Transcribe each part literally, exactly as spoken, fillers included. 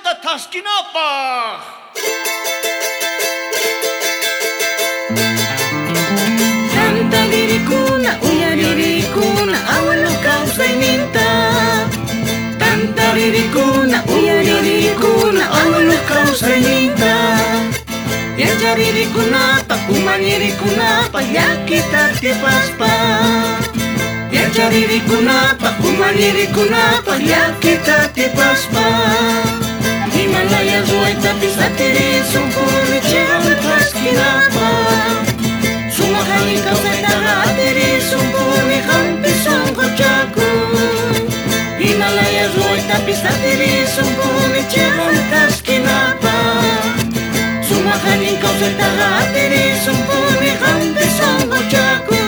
kawsayta thaskinapaj. Tantaririkuna, uyaririkuna, abuelo kawsayninta. Tantaririkuna, uyaririkuna, abuelo kawsayninta. Yacharirikunapaj, umalirikunapaj, llakita atipaspa. Yacharirikunapaj, umalirikunapaj, llakita atipaspa. Himalaya ruwaytapis atirisunpuni chiqan thaskinapaj. Sumaq allin kawsaytaqa atirisunpuni qampi sunquchakuy. Himalaya ruwaytapis atirisunpuni chiqan thaskinapaj. Sumaq allin kawsaytaqa atirisunpuni qampi sunquchakuy.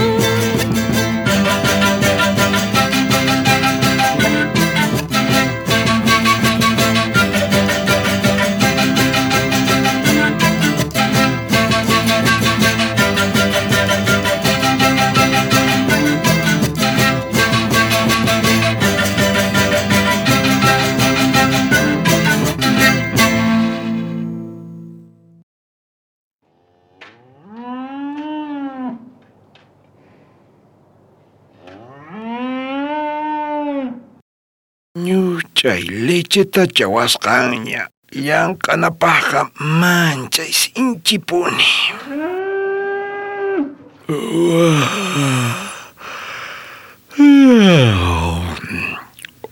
Ñuchay lecheta chawasqanña llank'anapaqqa manchay sinchipuni.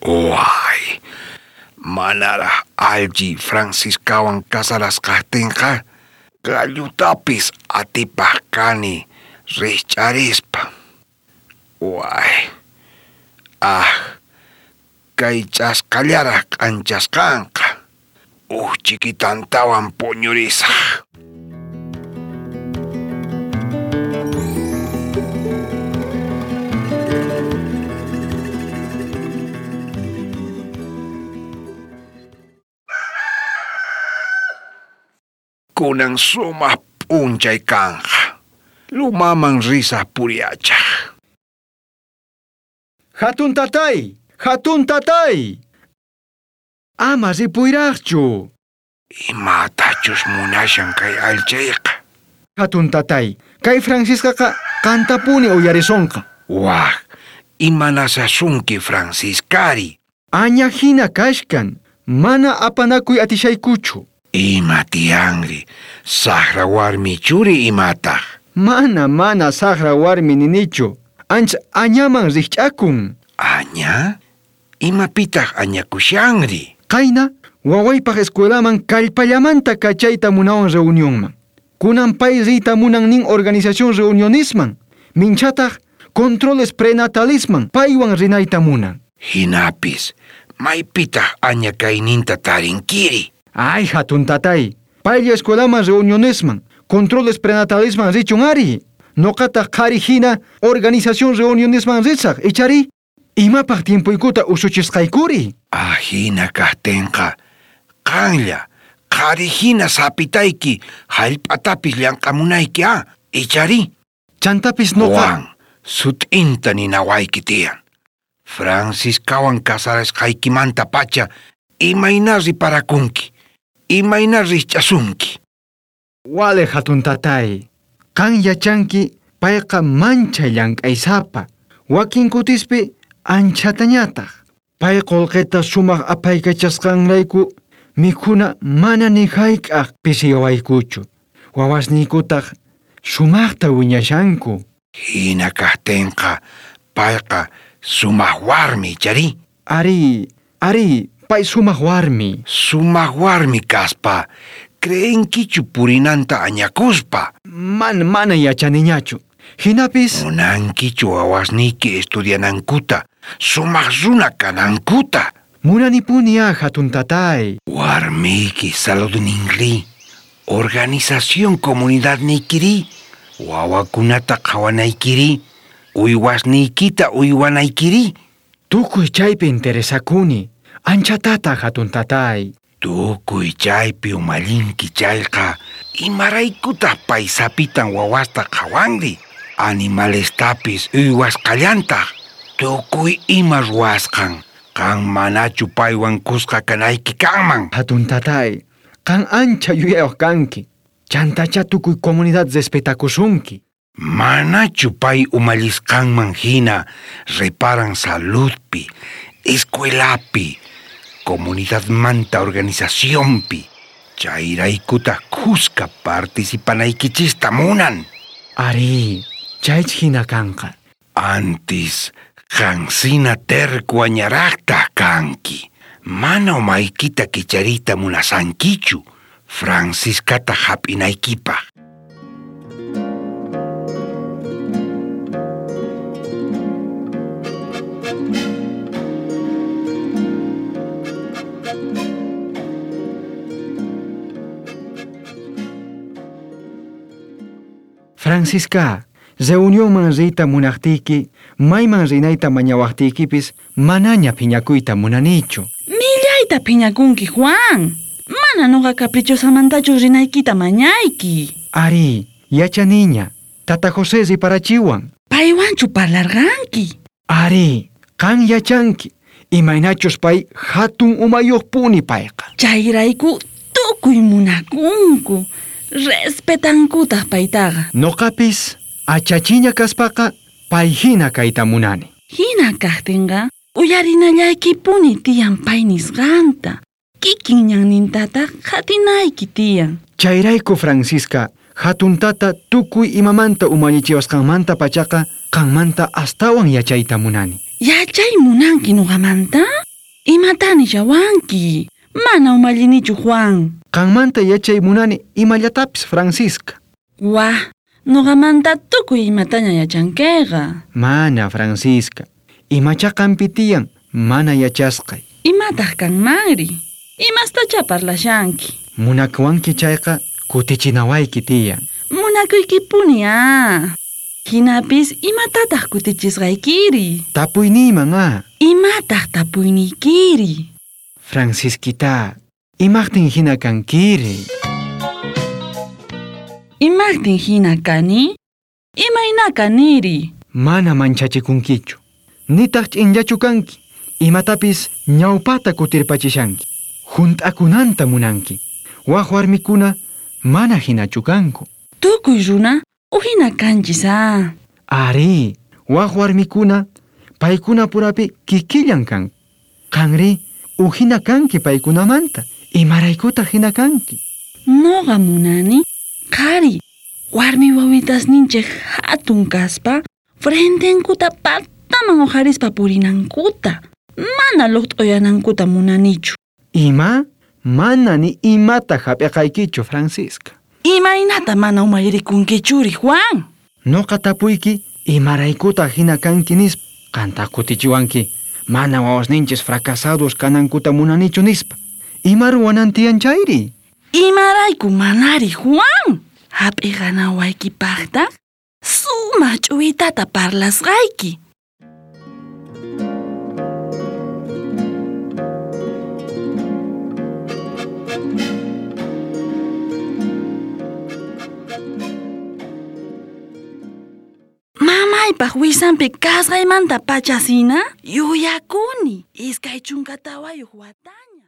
Way, manaraj allchi Franciscawan casarasqajtinqa gallutapis atipaj kani rijch'arispa. Way, ah, kay ch'askallaraj k'anchasqanqa uj chikitantawan puñurisaj. Kunan sumaq p'unchay kanqa. Lumaman risaj puriachaj. Hatun tatay! Hatun tatay! Ama ripuyraqchu. Imatachus munashan kay allchayqa. Hatun tatay, kay Franciscaqa qantapuni uyarisonqa. Waj, imanasasunki Franciscari. Aña hina kashkan, mana apanakuy atishaykuchu. Ima tiyanri, saqra warmi churi imataq. Mana mana saqra warmi ninichu, ancha añaman rikch'akun. Aña? Imapitaq añakushanri? Qayna, wawaypaq escuelaman kallpallamanta kachayta munawan reunionman. Kunan pay riyta munan nin organización reunionisman. Minchataq controles prenatalisman paywan rinayta munan. Hinapis, maypitaq aña kayninta tarinkiri. Ay, hatun tatay, paylla escuelaman reunionisman, controles prenatalisman richun ari. Noqataq qhari hina organización reunionisman risaq, ichari? Imapaq tiempoykuta usuchisqaykuri? Ahina kaqtinqa, qanlla, qhari hina sapitayki, hallp'atapis llank'amunayki a, ichari? Chantapis noqa... Juan, sut'inta ninawayki tiyan. Franciscawan casarasqaykimanta pacha, imayna riparakunki, imayna rijch'asunki. Wale hatun tatay, qan yachanki payqa manchay llank'aysapa, wakin kutispi anchatañataq. Pay qullqita sumaq apaykachasqanrayku mikhuna mana ni hayk'aq pisiyawaykuchu. Wawasniykutaq sumaqta wiñashanku. Hina kaqtinqa payqa sumaq warmi, ichari? Ari, ari, pay sumaq warmi. Sumaq warmi kaspa, creenkichu purinanta añakuspa? Man, mana yachaniñachu. Hinapis... Munankichu wawasniyki estudianankuta, sumaq runa kanankuta. Munanipuni a hatun tatay. Warmiyki saludninri, organización comunidadniykiri, wawakunata qhawanaykiri, uywasniykita uywanaykiri. Tukuy chaypi interesakuni, anchatata hatun tatay. Tukuy chaypi umallinki chayqa, imaraykutaq pay sapitan wawasta qhawanri? Animalestapis uywasqallantaq, tukuy ima ruwasqan, Qan manachu paywan kuska kanayki kanman. Hatun tatay, qan ancha yuyayuq kanki. Chantacha tukuy comunidad respetakusunki. Manachu pay umallisqanman hina reparan saludpi, escuelapi, comunidadmanta organizacionpi. Chayraykutaq kuska participanaykichista munan. Ari, chaych hina kanqa. Antis, qansina terco añaraqtaq kanki. Mana umaykita kichariyta munasankichu, Franciscata hap'inaykipaq. Francisca, reunionman riyta munaqtiyki, mayman rinayta mañawaqtiykipis manaña phiñakuyta munanichu. Millayta phiñakunki, Juan. Mana noqa caprichosamantachu rinaykita mañayki. Ari, yachaniña. Tata José riparachiwan. Paywanchu parlarqanki. Ari, qan yachanki. Imaynachus pay hatun umayuqpuni payqa. Chayrayku tukuy munakunku. Respetankutaq paytaqa. Noqapis achachiña kaspaqa pay hina kayta munani. Hina kaqtinqa uyarinallaykipuni tiyan pay nisqanta. Kikin ñannintataq qatinayki tiyan. Chayrayku Francisca, hatun tata tukuy imamanta umallichiwasqanmanta pachaqa qanmanta astawan yachayta munani. Yachay munanki nuqamanta? Imata nishawanki? Mana umallinichu, Juan. Qanmanta yachay munani imallatapis, Francisca. Wah, nuqamanta tukuy imataña yachankiqa. Mana, Francisca. Imacha qanpi tiyan, mana yachasqay. Imataq kanmanri? Imastacha parlashanki. Munakuwanki chayqa kutichinawayki tiyan. Munakuykipuni ah. Hinapis imatataq kutichisqaykiri? Tapuyniyman ah. Imataq tapuyniykiri? Francisquita, imaqtin hina kankiri? Imaqtin hina kani? Imayna kaniri? Mana manchachikunkichu. Nitaq ch'inllachu kanki. Imatapis ñawpata kutirpachishanki. Hunt'akunanta munanki. Waj warmikuna mana hinachu kanku. Tukuy runa uhina kanchis ah. Ari, waj warmikuna paykuna purapi kikillan kanku. Qanri uhina kanki paykunamanta. Imaraykutaq hina kanki? Noqa munani qhari warmi wawitasninchik hatun kaspa frentenkuta pataman uqharispa purinankuta. Mana luqt'uyanankuta munanichu. Ima? Mana ni imata hap'iqaykichu, Francisca. Imaynata mana umayrikunkichuri, Juan? Noqa tapuyki imaraykutaq hina kanki nispa. Qantaq kutichiwanki mana wawasninchis fracasados kanankuta munanichu nispa. Ima ruwanan tiyan chayri? Imarayku manari, Juan? Hap'iqanawaykipaqtaq sumaq ch'uwitata parlasqayki. Mamaypaq wisanpi kasqaymanta pachasina yuyakuni iskay chunka tawayuq wataña.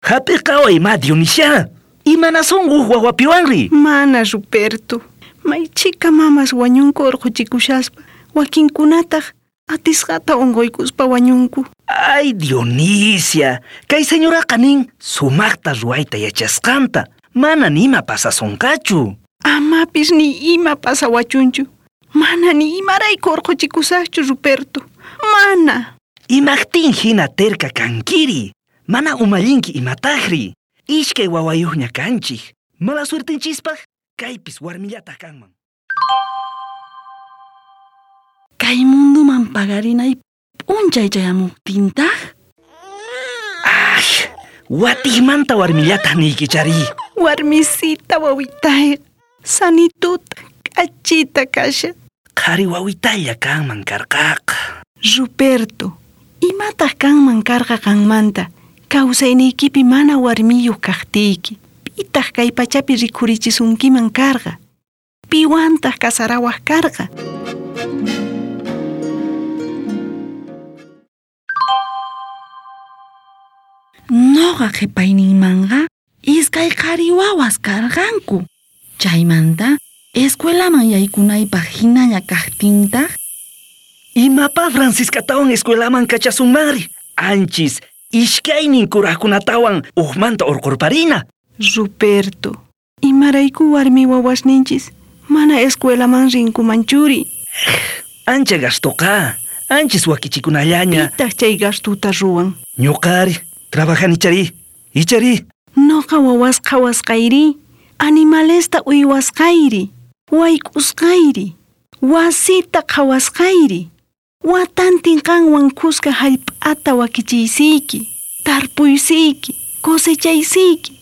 Hap'iqaway ma Dionisia. Imanasun huk wawapiwanri? Mana, Ruperto. Maychika mamas wañunku urquchikushaspa. Wakinkunataq atisqata unquykuspa wañunku. Ay, Dionisia. Kay señoraqa nin sumaqta ruwayta yachasqanta. Mana nima pasasunqachu. Amapis ni ima pasawachunchu. Mana ni imarayku urquchikusaqchu, Ruperto. Mana. Imaqtin hina terka kankiri. Mana umallinki imataqri. Iskay wawayuqña kanchik. Mala suertinchispaq kaypis warmillataq kanman. Kay munduman pagarinay p'unchay chayamuqtintaq? Ay, watiqmanta warmillataq niykichari. Warmisita wawitayqa sanituta k'achita kashan. Qhari wawitalla kanman karqaqa. Ruperto, imataq kanman karqa qanmanta? Kawsayniykipi mana warmiyuq kaqtiyki, pitaq kay pachapi rikhurichisunkiman karqa? Piwantaq kasarawaq karqa? Noqa qhipayninmanqa iskay qhari wawas karqanku. Chaymanta escuelaman yaykunaypaq hinalla kaqtintaq Imapa Franciscatawan escuelaman kachasunmanri? Anchis iskaynin kuraqkunatawan uqmanta urqurparina. Ruperto, imarayku warmi wawasninchis mana escuelaman rinkumanchuri. Ancha gastoqa, anchis wakichikunallaña. Pitaq chay gastuta ruwan? Ñuqari, trabajani chari, ichari. Noqa wawas qhawasqayri, animalesta uywasqayri, wayk'usqayri, wasita qhawasqayri. Watantin qanwan kuska hallp'ata wakichiysiyki, tarpuysiyki, cosechaysiyki.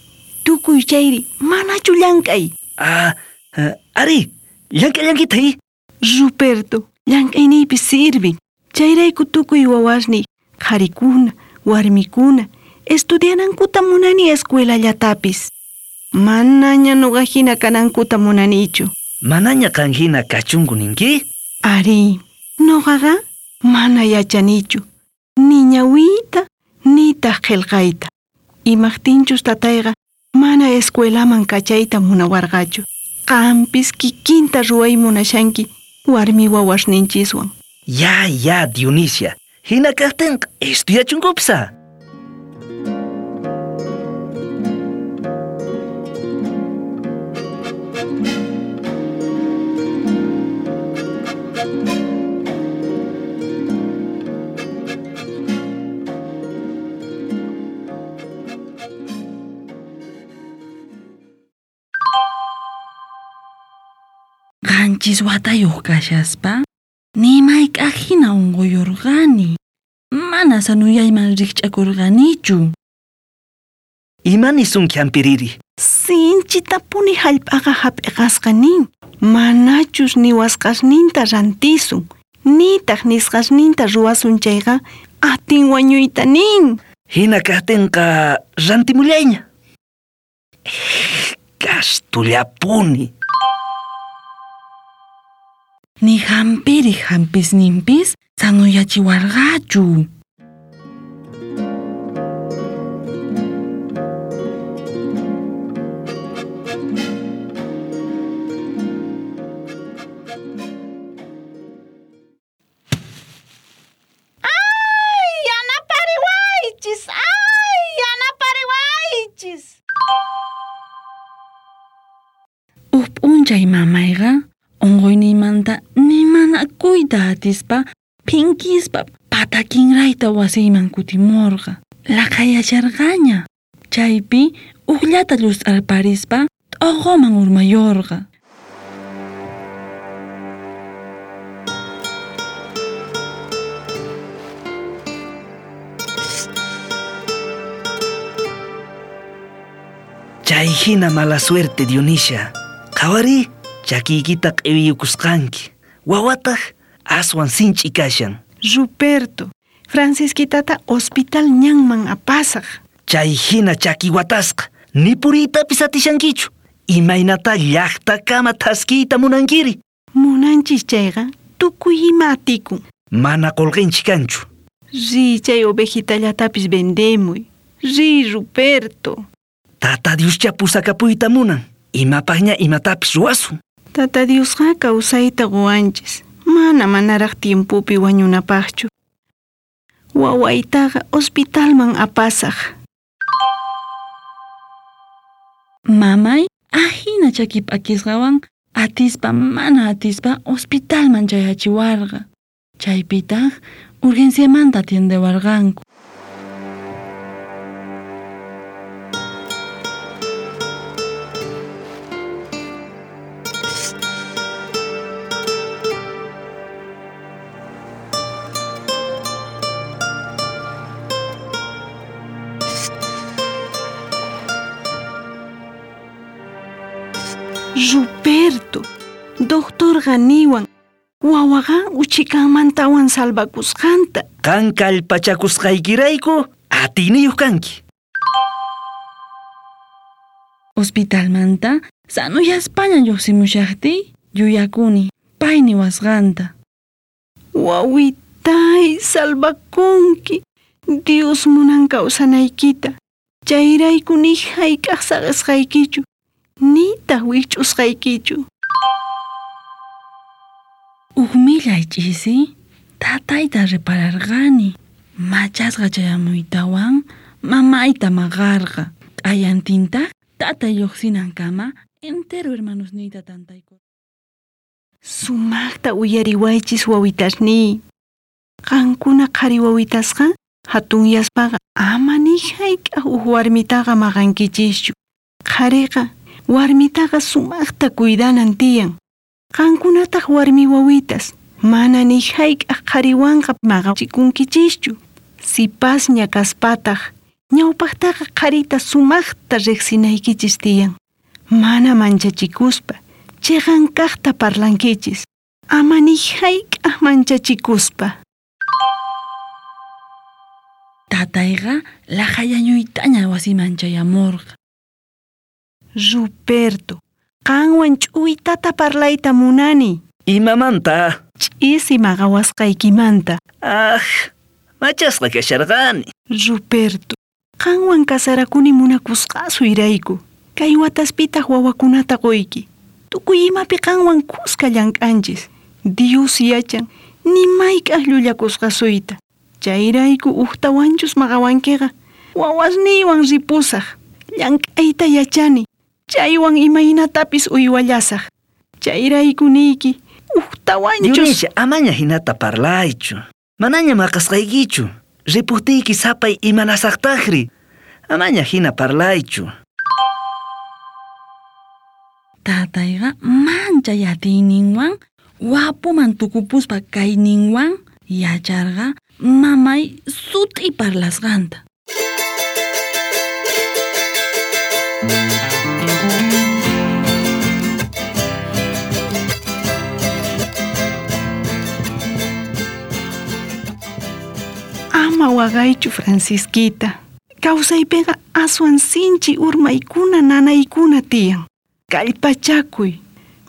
Tukuy chayri manachu llank'ay? Ah, uh, ari, llank'allankitaq. Ruperto, llank'ayniypi sirvin. Chayrayku tukuy wawasniy, qharikuna, warmikuna, estudianankuta munani escuelallatapis. Manaña nuqa hina kanankuta munanichu. Manaña qan hina kachunku ninki? Ari, nuqaqa mana yachanichu. Ni ñawiyta, nitaq qillqayta. Imaqtinchus tatayqa mana escuelaman kachayta munawarqachu. Qampis kikinta ruway munashanki warmi wawasninchiswan. Ya, ya, Dionisia. Hina kaqtinqa estudiachunkupsa. Qanchis watayuq kashaspa ni mayk'aq hina unquyurqani. Mana sanuyayman rikch'akurqanichu. Ima nisunki hampiriri? Sinchitapuni hallp'aqa hap'iqasqa nin. Manachus niwasqasninta rantisun, nitaq nisqasninta ruwasun chayqa atin wañuyta nin. Hina kaqtinqa rantimullayña. Gastullapuni. Ni hampiriq hampisninpis sanuyachiwarqachu. ¡Ay, yanapariwaychis! ¡Ay, yanapariwaychis! Uj p'unchay mamayqa unquyniymanta ni manakuyta atispa phinkispa patakinrayta wasiyman kutimurqa. Laqhayasharqaña. Chaypi ujllata llust'arparispa t'oqoman urmayurqa. Chay hina mala suerte, Dionisia. Qhawari, chakiykita q'iwiyukusqanki. Wawataq aswan sinch'i kashan. Ruperto, Francisquitata hospital ñanman apasaq. Chay hina chaki watasqa, ni puriytapis atishankichu. Imaynata llaqtakama thaskiyta munankiri? Munanchis chayqa tukuy ima atikun. Mana qullqinchik kanchu. Riy chay ovejitallatapis vendemuy. Riy, Ruperto. Tata Dioscha pusakapuyta munan. Imapaqña imatapis ruwasun. Tata Diosqa kawsayta quwanchis. Mana manaraq tiempopi wañunapaqchu. Wawaytaqa hospitalman apasaq. Mamay ahina chaki p'akisqawan atispa mana atispa hospitalman chayachiwarqa. Chaypitaq urgenciamanta atiendewarqanku. Ruperto, doctorqa niwan, wawaqa uchikanmantawan salvakusqanta. Qan kallpachakusqaykirayku Atiyniyuq kanki. Hospitalmanta sanuyaspaña lluqsimushaqtiy yuyakuni pay niwasqanta. Wawitay, salvakunki. Dios munan kawsanaykita. Chayrayku ni hayk'aq saqisqaykichu, nitaq wikch'usqaykichu. Uj millay ch'isi tatayta repararqani. Machasqa chayamuytawan mamayta maqarqa. Q'ayantintaq tatay lluqsinankama entero hermanosniyta tantaykurqa. Sumaqta uyariwaychis wawitasniy. Qankuna qhari wawitasqa hatunyaspaqa ama ni hayk'aq uj warmitaqa maqankichischu. Qhariqa warmitaqa sumaqta cuidanan tiyan. Qankunataq warmi wawitas mana ni hayk'aq qhariwanqa maqachikunkichischu. Sipasña kaspataq ñawpaqtaqa qharita sumaqta riqsinaykichis tiyan. Mana manchachikuspa chiqan kaqta parlankichis. Ama ni hayk'aq manchachikuspa. Tatayqa laqhayañuytaña wasiman chayamurqa. Ruperto, qanwan ch'uytata parlayta munani. Imamanta? Ch'isi maqawasqaykimanta. Ah, machasqa kasharqani. Ruperto, qanwan kasarakuni munakusqasuyrayku. Kay wataspitaq wawakunata quyki. Tukuy imapi qanwan kuska llank'anchis. Dios yachan, ni mayk'aq llullakusqasuyta. Chayrayku ujtawanchus maqawankiqa, wawasniywan ripusaq. Llank'ayta yachani, chaywan imaynatapis uywallasaq. Chayrayku niyki, ujtawanchus... Dionisia, amaña hinata parlaychu. Manaña maqasqaykichu. Ripuqtiyki sapay imanasaqtaqri. Amaña hina parlaychu. Tatayqa manchay atiyninwan wapuman tukupuspa kayninwan yacharqa mamay sut'i parlasqanta. Ama waqaychu, Francisquita. Kawsaypiqa aswan sinchi urmaykuna nanaykuna tiyan. Kallpachakuy.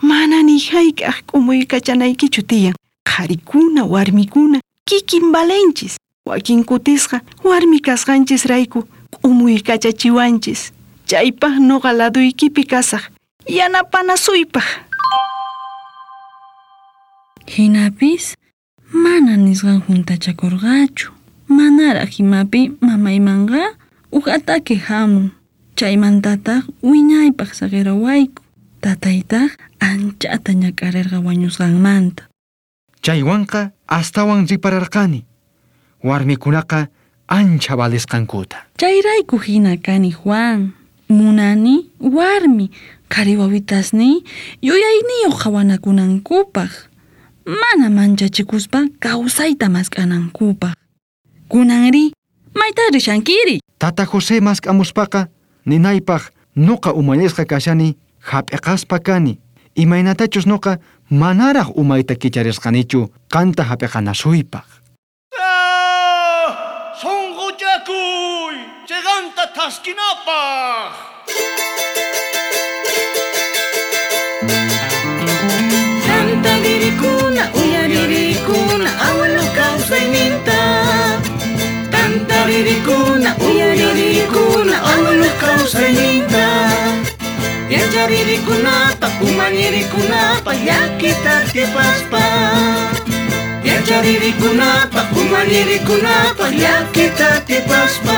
Mana ni hayk'aq k'umuykachanaykichu tiyan. Qharikuna, warmikuna, kikin valenchis. Wakin kutisqa warmi kasqanchisrayku k'umuykachachiwanchis. Chaypaq noqa laduykipi kasaq, yanapanasuypaq. Hinapis mana nisqan juntachakurqachu. Manaraq imapi mamaymanqa uj ataque hamun. Chaymantataq wiñaypaq saqirawayku. Tataytaq anchata ñak'arirqa wañusqanmanta. Chaywanqa astawan ripararqani. Warmikunaqa ancha valisqankuta. Chayrayku hina kani, Juan. Munani warmi qhari wawitasniy yuyayniyuq qhawanakunankupaq. Mana manchachikuspa kawsayta mask'anankupaq. Kunanri, mayta rishankiri? Tata José mask'amuspaqa ninaypaq noqa umallisqa kashani hap'iqaspa kani. Imaynatachus noqa manaraq umayta kicharisqanichu qanta hap'iqanasuypaq. Sunquchakuy, chiqanta thaskinapaq. Tantaririkuna, uyaririkuna, abuelo kawsayninta. Tantaririkuna, uyaririkuna, abuelo kawsayninta. Yacharirikunapaq, umallirikunapaq, llakita atipaspa. Yacharirikunapaq, umallirikunapaq, llakita atipaspa.